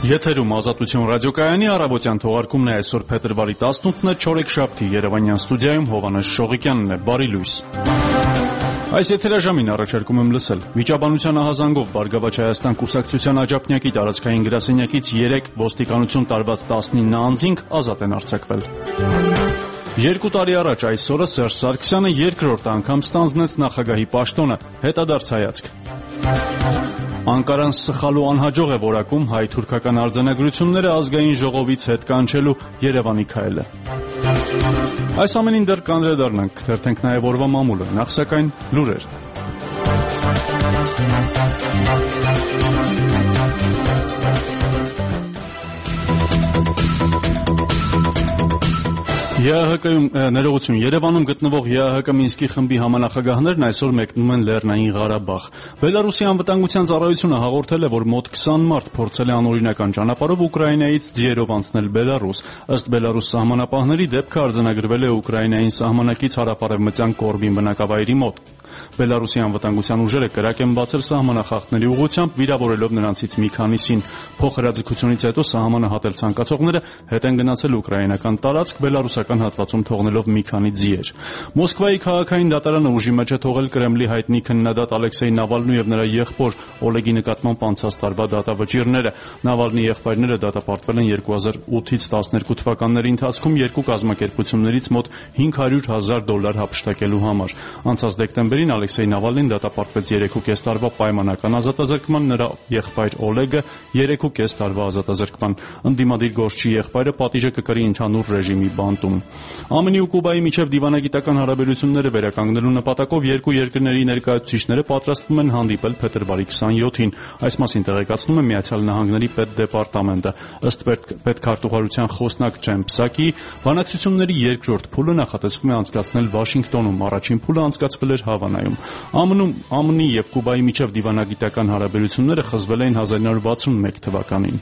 Եթերում Ազատություն ռադիոկայանի առավոտյան թողարկումն է այսօր փետրվարի 18-ը չորեքշաբթի Երևանյան ստուդիայում Հովհաննես Շողիկյանն է, բարի լույս։ Այս եթերաժամին առաջարկում եմ լսել. վիճաբանության ահազանգով Բարգավաճ Հայաստան կուսակցության աջափնյակի տարածքային գրասենյակից 3 ոստիկանություն տարված 19 անձինք ազատ են արձակվել։ 2 տարի առաջ այսօրը Սերժ Սարգսյանը երկրորդ անգամ ստանձնեց նախագահի պաշտոնը, հետադարձ հայացք։ Անկարան սխալու անհաջող է որակում հայ-թուրքական արձանագրությունները ազգային ժողովից հետ կանչելու Երևանի քայլը։ Այս ամենին դեռ կանդրադառնանք, կթերթենք նաև օրվա մամուլը, նախ սակայն լուրեր։ Ներողություն, Երևանում գտնվող ԵԱՀԿ Մինսկի խմբի համանախագահներն այսօր մեկնում են Լեռնային Ղարաբաղ։ Բելարուսի անվտանգության ծառայությունը հաղորդել է, որ մոտ 20 մարդ փորձել է անօրինական ճանապարհով Ուկրաինայից ձիերով անցնել Բելարուս։ Ըստ Բելարուս սահմանապահների դեպքը արձանագրվել է Ուկրաինային սահմանակից հարավարևմտյան Կորբին բնակավայրի մոտ։ Բելարուսի անվտանգության ուժերը կրակ են բացել սահմանախախտների ուղղությամբ, վիրավորելով նրանցից մի քանիսին։ Փոխհրաձգությունից հետո սահմանը հատել ցանկացողները հետ են գնացել ուկրաինական տարածք, բելարուսական հատվածում թողնելով մի քանի ձիեր։ Մոսկվայի քաղաքային դատարանը ուժի մեջ է թողել Կրեմլի հայտնի քննադատ Ալեքսեյ Նավալնու եւ նրա եղբոր Օլեգի նկատմամբ անցած տարվա դատավճիռները։ Նավալնի եղբայրները դատապարտվել են 2008-ից 12 թվականների ընթացքում երկու կազմակերպություններից մոտ $500,000 հափշտակելու համար։ Անցած դեկտեմբերին Ալեքսեյ Նավալնին դատապարտվեց 3.5 տարվա պայմանական ազատազրկման, նրա եղբայր Օլեգը 3.5 տարվա ազատազրկման։ Ընդդիմադիր գործչի եղբայրը պատիժը կկրի ընդհանուր ռեժիմի բանտում։ ԱՄՆ-ի ու Կուբայի միջև դիվանագիտական հարաբերությունները վերականգնելու նպատակով երկու երկրների ներկայացուցիչները պատրաստվում են հանդիպել փետրվարի 27-ին։ Այս մասին տեղեկացնում է Միացյալ Նահանգների պետդեպարտամենտը։ Ըստ պետքարտուղարության խոսնակ Ջեն Պսակի, բանակցությունների երկրորդ փուլը նախատեսվում է անցկացնել Վաշինգտոնում, առաջին փուլը անցկացվել էր Հավանայում։ ԱՄՆ-ի եւ Կուբայի միջև դիվանագիտական հարաբերությունները խզվել էին 1961 թվականին։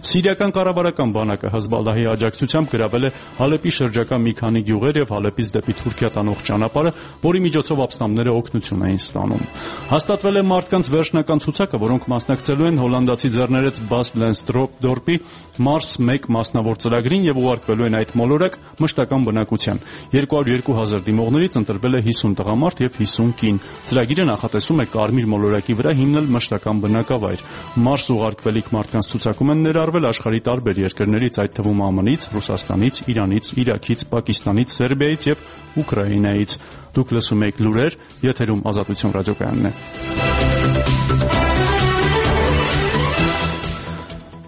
Սիրիական կառավարական բանակը Հեզբոլլահի աջակցությամբ գրավել է Հալեպի շրջակա մի քանի գյուղեր եւ Հալեպից դեպի Թուրքիա տանող ճանապարհը, որի միջոցով ապստամբները օգնություն էին ստանում։ Հաստատվել է մարդկանց վերջնական ցուցակը, որոնք մասնակցելու են հոլանդացի ձեռներեց Բաս Լենսդորպի Մարս 1 մասնավոր ծրագրին եւ ուղարկվելու են այդ մոլորակ մշտական բնակության։ 202,000 դիմողներից ընտրվել է 50 տղամարդ եւ 50 կին։ Ծրագիրը նախատեսում է Կարմիր մոլորակի վրա հիմնել մշտական բնակավայր։ Մարս ուղարկվելիք մարդկանց ցուցակում են ներառվել աշխարհի տարբեր երկրներից, այդ թվում ԱՄՆ-ից, Ռուսաստանից, Իրանից, Իրաքից, Պակիստանից, Սերբիայից եւ Ուկրաինայից։ Դուք լսում եք լուրեր, եթերում Ազատություն ռադիոկայանն է։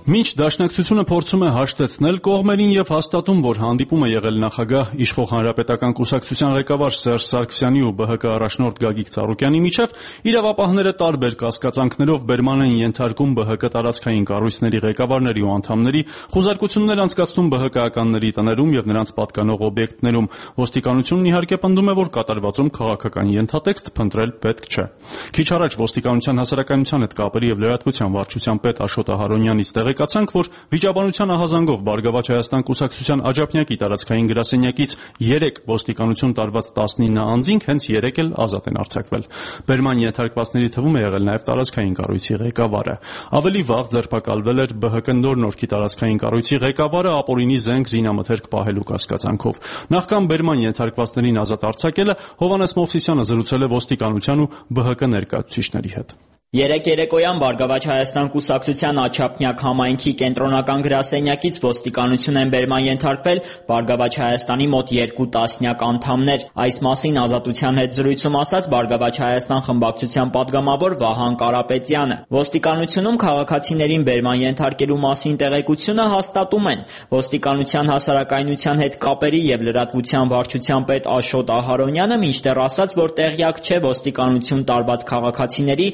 Մինչ դաշնակցությունը փորձում է հաշտեցնել կողմերին եւ հաստատում, որ հանդիպում է եղել նախագահ իշխող Հանրապետական կուսակցության ղեկավար Սերժ Սարգսյանի ու ԲՀԿ առաջնորդ Գագիկ Ծառուկյանի միջև, իրավապահները տարբեր կասկածանքներով բերման են ենթարկում ԲՀԿ տարածքային կառույցների ղեկավարների ու անդամների, խոզարկություններ անցկացնում ԲՀԿ-ականների տներում եւ նրանց պատկանող օբյեկտներում։ Ոստիկանությունն իհարկե պնդում է, որ կատարվածում քաղաքական ենթատեքստ փնտրել պետք չէ։ Քիչ առաջ Ոստիկանության հասարակայնության հետ կապերի եւ լրատվության վարչության պետ Աշոտ Ահարոնյանից տեղեկացանք, որ վիճաբանության ահազանգով Բարգավաճ Հայաստան կուսակցության աջափնյակի տարածքային գրասենյակից 3 ոստիկանություն տարված 19 անձինք հենց 3 էլ ազատ են արձակվել։ Բերման ենթարկվածների թվում է եղել նաև տարածքային կառույցի ղեկավարը։ Ավելի վաղ ձերբակալվել էր ԲՀԿ Նոր-Նորքի տարածքային կառույցի ղեկավարը ապօրինի զենք զինամթերք պահելու կասկածանքով։ Նախքան բերման ենթարկվածներին ազատ արձակելը Հովհաննես Մովսիսյանը զրուցել է ոստիկանության ու ԲՀԿ ներկայացուցիչների հետ։ Երեկ երեկոյան Բարգավաճ Հայաստան կուսակցության Աջափնյակ համայնքի կենտրոնական գրասենյակից ոստիկանություն են բերման ենթարկվել Բարգավաճ Հայաստանի մոտ 2 տասնյակ անդամներ։ Այս մասին Ազատության հետ զրույցում ասաց Բարգավաճ Հայաստան խմբակցության падգամավոր Վահան Կարապետյանը։ Ոստիկանությունում քաղաքացիներին բերման ենթարկելու մասին տեղեկությունը հաստատում են։ Ոստիկանության հասարակայնության հետ կապերի եւ լրատվության վարչության պետ Աշոտ Ահարոնյանը մինչդեռ ասաց, որ տեղյակ չէ ոստիկանություն տարված քաղաքացիների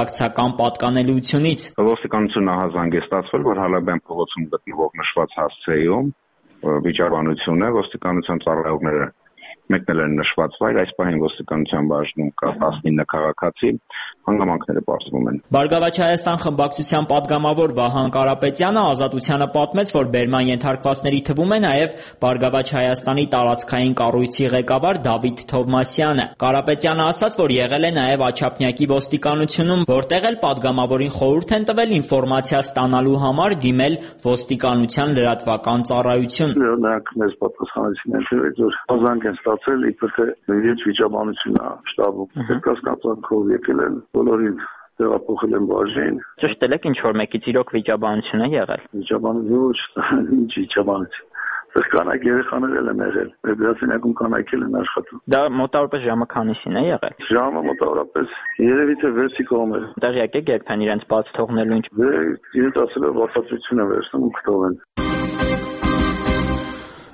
կուսակցական պատկանելությունից։ Ոստիկանությունը ահազանգ է ստացվել, որ Հալաբյան փողոցում գտնվող նշված հասցեում վիճաբանությունը ոստիկանության ծառայողները մեկնել են նշված վայր, այս պահին ոստիկանության բաժնում կա 19 քաղաքացի, հանգամանքները պարզվում են։ Բարգավաճ Հայաստան խմբակցության падգամավոր Վահան Կարապետյանը Ազատությանը պատմեց, որ բերման ենթարկվածների թվում է նաև Բարգավաճ Հայաստանի տարածքային կառույցի ղեկավար Դավիթ Թովմասյանը։ Կարապետյանը ասաց, որ եղել է նաև Աչափնյակի ոստիկանությունում, որտեղ էլ падգամավորին խորհուրդ են տվել ինֆորմացիա ստանալու համար դիմել ոստիկանության լրատվական ծառայություն։ Նրանք մեզ պատասխանեցին, որ հազանգ են ստացել, իբր թե իրենց վիճաբանությունն է շտաբում։ Կասկածանքով եկել են բոլորին տեղափոխել են բաժին։ Ճշտել եք ինչ որ մեկից իրոք վիճաբանություն է եղել։ Վիճաբանություն, ինչ վիճաբանություն։ Սա կանայք երեխաներ են եղել։ Մեր գրասենյակում կանայք են աշխատում։ Դա մոտավորապես ժամը քանիսին է եղել։ Ժամը մոտավորապես երևի թե 6-ի կողմեր։ Տեղյակ եք երբեն իրենց բաց թողնելու ինչ։ Իրենց ասել է վատացություն է վերցնում ու կթողեն։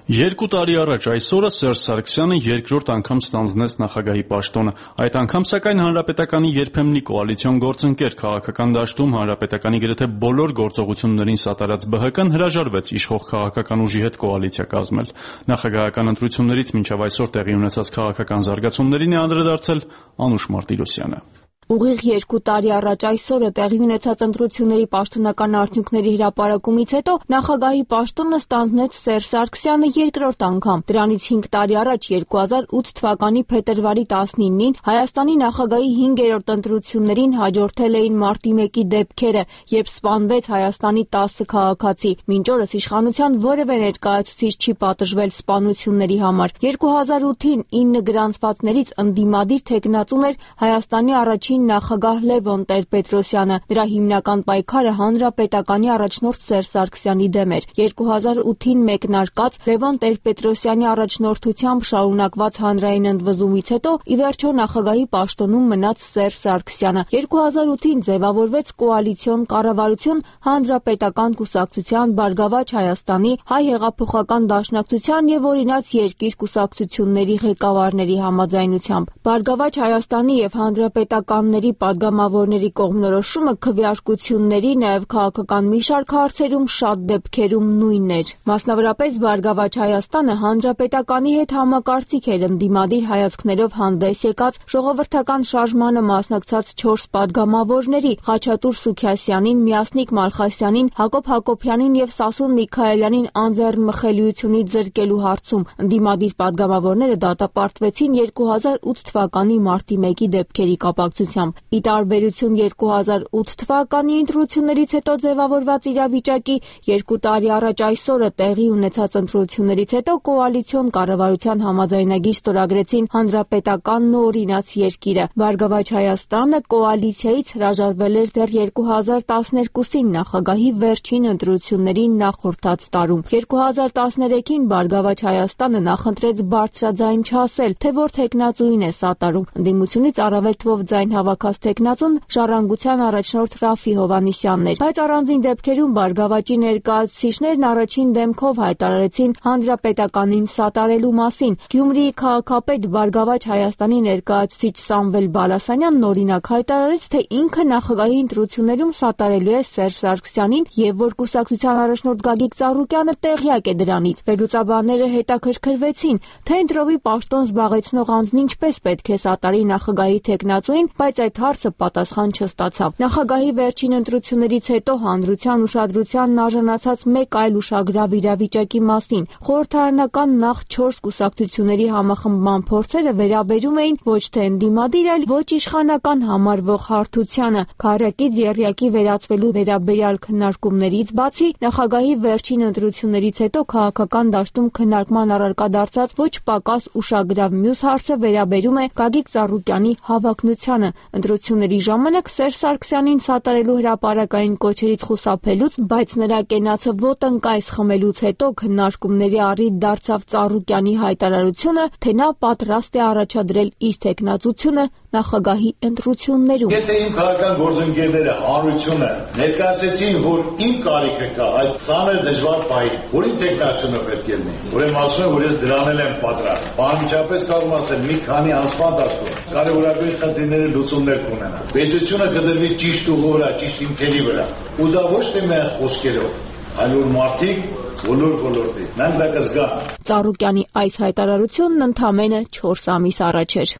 2 տարի առաջ այսօրը Սերժ Սարգսյանը երկրորդ անգամ ստանձնեց նախագահի պաշտոնը։ Այդ անգամ սակայն Հանրապետականի երբեմնի կոալիցիոն գործընկեր քաղաքական դաշտում Հանրապետականի գրեթե բոլոր գործողություններին սատարած ԲՀԿ-ն հրաժարվեց իշխող քաղաքական ուժի հետ կոալիցիա կազմել։ Նախագահական ընտրություններից մինչև այսօր տեղի ունեցած քաղաքական զարգացումներին է անդրադարձել Անուշ Մարտիրոսյանը։ Ուղիղ 2 տարի առաջ այսօրը տեղի ունեցած ընտրությունների պաշտոնական արդյունքների հրապարակումից հետո նախագահի պաշտոնը ստանձնեց Սերժ Սարգսյանը երկրորդ անգամ։ Դրանից 5 տարի առաջ 2008 թվականի փետրվարի 19-ին Հայաստանի նախագահի 5-րդ ընտրություններին հաջորդել էին մարտի 1-ի դեպքերը, երբ սպանվեց Հայաստանի 10 քաղաքացի։ Մինչ օրս իշխանության որևէ ներկայացուցիչ չի պատժվել սպանությունների համար։ 2008-ին 9 գրանցվածներից ընդդիմադիր թեկնածուն էր Հայաստանի առաջին նախագահ Լևոն Տեր-Պետրոսյանը։ Նրա հիմնական պայքարը հանրապետականի առաջնորդ Սերժ Սարգսյանի դեմ էր։ 2008-ին մեկնարկած Լևոն Տեր-Պետրոսյանի առաջնորդությամբ շարունակված հանրային ընդվզումից հետո ի վերջո նախագահի պաշտոնում մնաց Սերժ Սարգսյանը։ 2008-ին ձևավորվեց կոալիցիոն կառավարություն Հանրապետական կուսակցության, Բարգավաճ Հայաստանի, Հայ հեղափոխական դաշնակցության եւ Օրինաց երկիր կուսակցությունների ղեկավարների համաձայնությամբ։ Բարգավաճ Հայաստանի եւ Հանրապետական падգամավորների կողմնորոշումը քվեարկությունների, նաև քաղաքական մի շարք հարցերում շատ դեպքերում նույնն էր։ Մասնավորապես Բարգավաճ Հայաստանը Հանրապետականի հետ համակարծիք էր ընդդիմադիր հայացքներով հանդես եկած ժողովրդական շարժմանը մասնակցած 4 падգամավորների՝ Խաչատուր Սուքիասյանին, Միասնիկ Մալխասյանին, Հակոբ Հակոբյանին եւ Սասուն Միքայելյանին անձեռնմխելիությունից զրկելու հարցում։ Ընդդիմադիր падգամավորները դատապարտվեցին 2008 թվականի մարտի 1-ի դեպքերի կապակցությամբ։ Ի տարբերություն 2008 թվականի ընտրություններից հետո ձևավորված իրավիճակի 2 տարի առաջ այսօրը տեղի ունեցած ընտրություններից հետո կոալիցիոն կառավարության համաձայնագիր ստորագրեցին Հանրապետականն ու Օրինաց երկիրը։ Բարգավաճ Հայաստանը կոալիցիայից հրաժարվել էր դեռ 2012-ին նախագահի վերջին ընտրություններին նախորդած տարում։ 2013-ին Բարգավաճ Հայաստանը նախընտրեց բարձրաձայն չասել, թե որ թեկնածուին է սատարում։ Ընդդիմությունից առավել թվով ձայն հավաքած թեկնածուն Ժառանգության առաջնորդ Ռաֆի Հովհաննիսյանն էր, բայց առանձին դեպքերում Բարգավաճի ներկայացուցիչներն առաջին դեմքով հայտարարեցին Հանրապետականին սատարելու մասին։ Գյումրիի քաղաքապետ Բարգավաճ Հայաստանի ներկայացուցիչ Սամվել Բալասանյանն օրինակ հայտարարեց, թե ինքը նախագահի ընտրություններում սատարելու է Սերժ Սարգսյանին եւ որ կուսակցության առաջնորդ Գագիկ Ծառուկյանը տեղյակ է դրանից։ Վերլուծաբանները հետաքրքրվեցին, թե ընտրովի պաշտոն զբաղեցնող անձն ինչպես պետք է սատարի նախագահի թեկնածուին, բայց այդ հարցը պատասխան չստացավ։ Նախագահի վերջին ընտրություններից հետո հանրության ուշադրությանն արժանացած մեկ այլ ուշագրավ իրավիճակի մասին։ Խորհրդարանական նախ 4 կուսակցությունների համախմբման փորձերը վերաբերում էին ոչ թե ընդդիմադիր, այլ ոչ իշխանական համարվող հարթությանը։ Քառակից եռյակի վերածվելու վերաբերյալ քննարկումներից բացի, նախագահի վերջին ընտրություններից հետո քաղաքական դաշտում քննարկման առարկա դարձած ոչ պակաս ուշագրավ մյուս հարցը վերաբերում է Գագիկ Ծառուկյանի հավակնությանը։ Ընտրությունների ժամանակ Սերժ Սարգսյանին սատարելու հրապարակային կոչերից խուսափելուց, բայց նրա կենացը ոտնկայս խմելուց հետո քննարկումների առիթ դարձավ Ծառուկյանի հայտարարությունը, թե նա պատրաստ է առաջադրել իր թեկնածությունը նախագահի ընտրություններում։ Եթե իմ քաղաքական գործընկերները հանրությունը ներկայացեցին, որ իմ կարիքը կա այդ ծանր դժվար պահին, որ իմ թեկնածությունը պետք է լինի, ուրեմն ասում եմ, որ ես դրանել եմ պատրաստ։ Անմիջապես կարող եմ ասել, մի քանի ամսվա ընթացքում կարևորագույն խնդիրների լուծումներ կունենա։ Պետությունը կդրվի ճիշտ ուղու վրա, ճիշտ հիմքերի վրա։ Ու դա ոչ թե միայն խոսքերով, այլ որ մարդիկ բոլոր ոլորտի նրանք դա կզգան։ Ծառուկյանի այս հայտարարությունն ընդամենը 4 ամիս առաջ էր։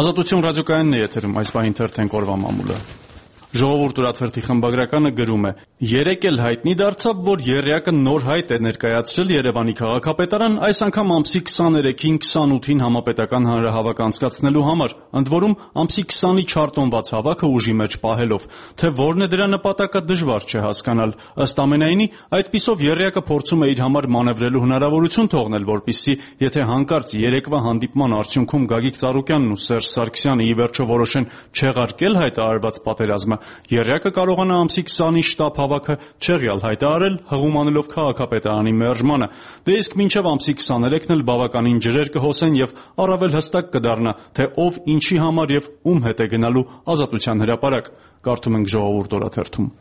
Ազատություն ռադիոկայանն է եթերում, այս պահին թերթենք օրվա մամուլը։ Ժողովուրդ ուրաթերթի խմբագրականը գրում է. «Երեկ էլ հայտնի դարձավ, որ եռյակը նոր հայտ է ներկայացրել Երևանի քաղաքապետարան, այս անգամ ամսի 23-ին 28-ին համապետական հանրահավաք անցկացնելու համար, ընդ որում ամսի 20-ի չարտոնված հավաքը ուժի մեջ պահելով, թե որն է դրա նպատակը դժվար չէ հասկանալ։ Ըստ ամենայնի, այդպիսով եռյակը փորձում է իր համար մանևրելու հնարավորություն թողնել, որպեսզի եթե հանկարծ երեկվա հանդիպման արդյունքում Գագիկ Ծառուկյանն ու Սերժ Սարգսյանը ի վերջո որոշեն չեղարկել հայտարարված պատերազմը, եռյակը կարողանա ամսի 20-ի շտաբ հավաքը չեղյալ հայտարարել, հղում անելով քաղաքապետարանի մերժմանը։ Դե իսկ մինչև ամսի 23-ն էլ բավականին ջրեր կհոսեն եւ առավել հստակ կդառնա, թե ով ինչի համար եւ ում հետ է գնալու Ազատության հրապարակ»։ Կարդում ենք Ժողովուրդ օրաթերթում։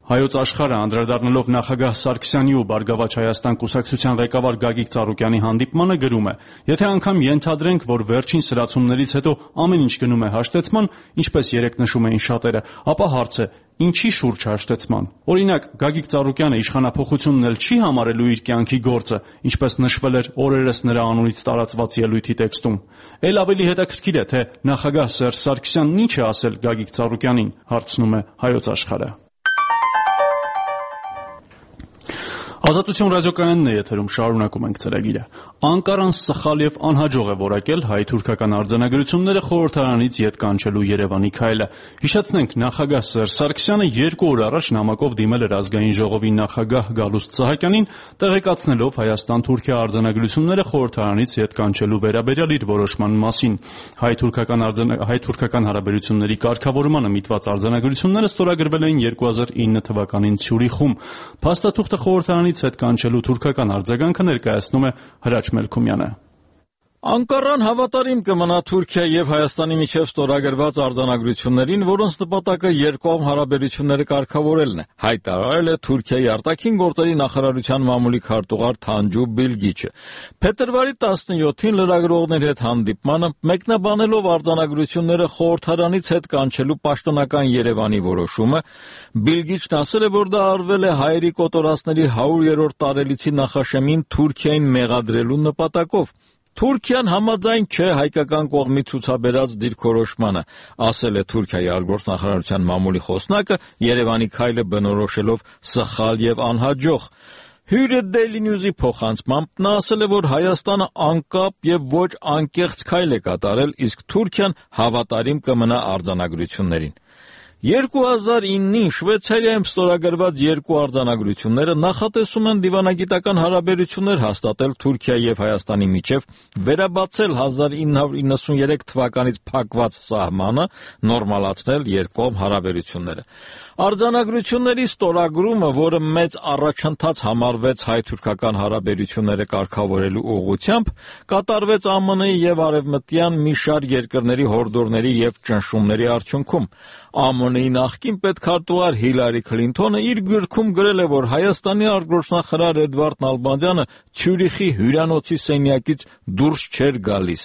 Հայոց աշխարհը անդրադառնալով նախագահ Սարգսյանի ու Բարգավաճ Հայաստան կուսակցության ղեկավար Գագիկ Ծառուկյանի հանդիպմանը գրում է. «Եթե անգամ ենթադրենք, որ վերջին սրացումներից հետո ամեն ինչ գնում է հաշտեցման, ինչպես երեք նշում էին շատերը, ապա հարց է. ինչի շուրջ հաշտեցման։ Օրինակ, Գագիկ Ծառուկյանը իշխանափոխությունն էլ չի համարելու իր կյանքի գործը, ինչպես նշվել էր օրերս նրա անունից տարածված ելույթի տեքստում։ Էլ ավելի հետաքրքիր է, թե նախագահ Սերժ Սարգսյանն ինչ է ասել Գագիկ Ծառուկյանին», հարցնում է Հայոց աշխարհը։ Ազատություն ռադիոկայանն է եթերում, շարունակում ենք ծրագիրը։ Անկարան սխալ եւ անհաջող է որակել հայ-թուրքական արձանագրությունները խորհրդարանից ետ կանչելու Երևանի քայլը։ Հիշեցնենք, նախագահ Սերժ Սարգսյանը 2 օր առաջ նամակով դիմել էր ազգային ժողովի նախագահ Գալուստ Սահակյանին, տեղեկացնելով Հայաստան-Թուրքիա արձանագրությունները խորհրդարանից ետ կանչելու վերաբերյալ իր որոշման մասին։ Հայ-թուրքական հարաբերությունների կարգավորմանը միտված արձանագրությունները ստորագրվել էին 2009 թվականին Ցյուրիխում։ Փաստաթուղթը խորհրդարանից հետ կանչելու թուրքական արձագանքը ներկայացնում է Հրաչ Մելքումյանը։ Անկարան հավատարիմ կմնա Թուրքիա եւ Հայաստանի միջև ստորագրված արձանագրություններին, որոնց նպատակը երկկողմ հարաբերությունները կարգավորելն է, հայտարարել է Թուրքիայի արտաքին գործերի նախարարության մամուլի քարտուղար Թանջու Բիլգիչը։ Փետրվարի 17-ին լրագրողների հետ հանդիպմանը, մեկնաբանելով արձանագրությունները խորհրդարանից հետ կանչելու պաշտոնական Երևանի որոշումը, Բիլգիչն ասել է, որ դա արվել է հայերի կոտորածների 100-րդ տարելիցի նախաշեմին Թուրքիային մեղադրելու նպատակով։ Թուրքիան համաձայն չէ հայկական կողմի ցուցաբերած դիրքորոշմանը, ասել է Թուրքիայի արտգործնախարարության մամուլի խոսնակը, Երևանի քայլը բնորոշելով սխալ եւ անհաջող։ Հյուրը Daily News-ի փոխանցմամբ նա ասել է, որ Հայաստանը անկապ եւ ոչ անկեղծ քայլ է կատարել, իսկ Թուրքիան հավատարիմ կմնա արձանագրություններին։ 2009-ին Շվեյցարիայում ստորագրված 2 արձանագրությունները նախատեսում են դիվանագիտական հարաբերություններ հաստատել Թուրքիայի եւ Հայաստանի միջև, վերաբացել 1993 թվականից փակված սահմանը, նորմալացնել երկկողմ հարաբերությունները։ Արձանագրությունների ստորագրումը, որը մեծ առաջընթաց համարվեց հայ-թուրքական հարաբերությունները կարգավորելու ուղղությամբ, կատարվեց ԱՄՆ-ի եւ արևմտյան մի շարք երկրների հորդորների եւ ճնշումների արդյունքում։ ԱՄՆ-ի նախկին պետքարտուղար Հիլարի Քլինթոնը իր գրքում գրել է, որ Հայաստանի արտգործնախարար Էդվարդ Նալբանդյանը Ցյուրիխի հյուրանոցի սենյակից դուրս չէր գալիս։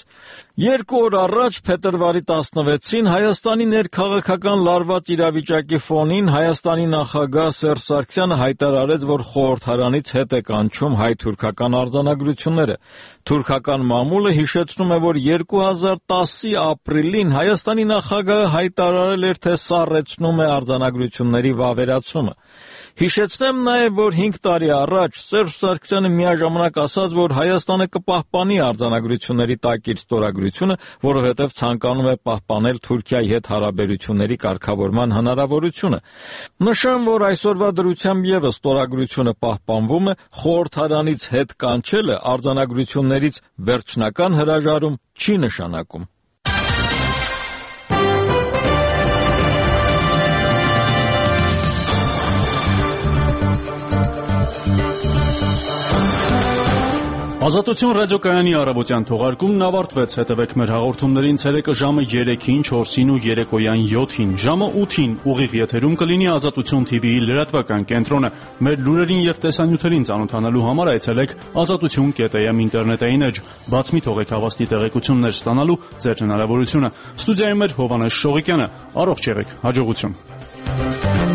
2 օր առաջ, փետրվարի 16-ին, Հայաստանի ներքաղաքական լարված իրավիճակի ֆոնին Հայաստանի նախագահ Սերժ Սարգսյանը հայտարարեց, որ խորհրդարանից հետ է կանչում հայ-թուրքական արձանագրությունները։ Թուրքական մամուլը հիշեցնում է, որ 2010-ի ապրիլին Հայաստանի նախագահը հայտարարել էր, թե սառեցնում է արձանագրությունների վավերացումը։ Հիշեցնեմ նաև, որ 5 տարի առաջ Սերժ Սարգսյանը միաժամանակ ասաց, որ Հայաստանը կպահպանի արձանագրությունների տակ իր ստորագրությունը, որովհետև ցանկանում է պահպանել Թուրքիայի հետ հարաբերությունների կարգավորման հնարավորությունը։ Նշեմ, որ այսօրվա դրությամբ ևս ստորագրությունը պահպանվում է, խորհրդարանից հետ կանչելը արձանագրություններից վերջնական հրաժարում չի նշանակում։ Ազատություն ռադիոկայանի առավոտյան թողարկումն ավարտվեց։ Հետևեք մեր հաղորդումներին ցերեկը ժամը 3-ին, 4-ին ու երեկոյան 7-ին։ Ժամը 8-ին ուղիղ եթերում կլինի Ազատություն TV-ի լրատվական կենտրոնը։ Մեր լուրերին եւ տեսանյութերին ծանոթանալու համար այցելեք azatutun.am ինտերնետային էջ։ Բաց մի թողեք հավաստի տեղեկություններ ստանալու ձեր հնարավորությունը։ Ստուդիայում էր Հովհաննես Շողիկյանը։ Առողջ եղեք, հաջողություն։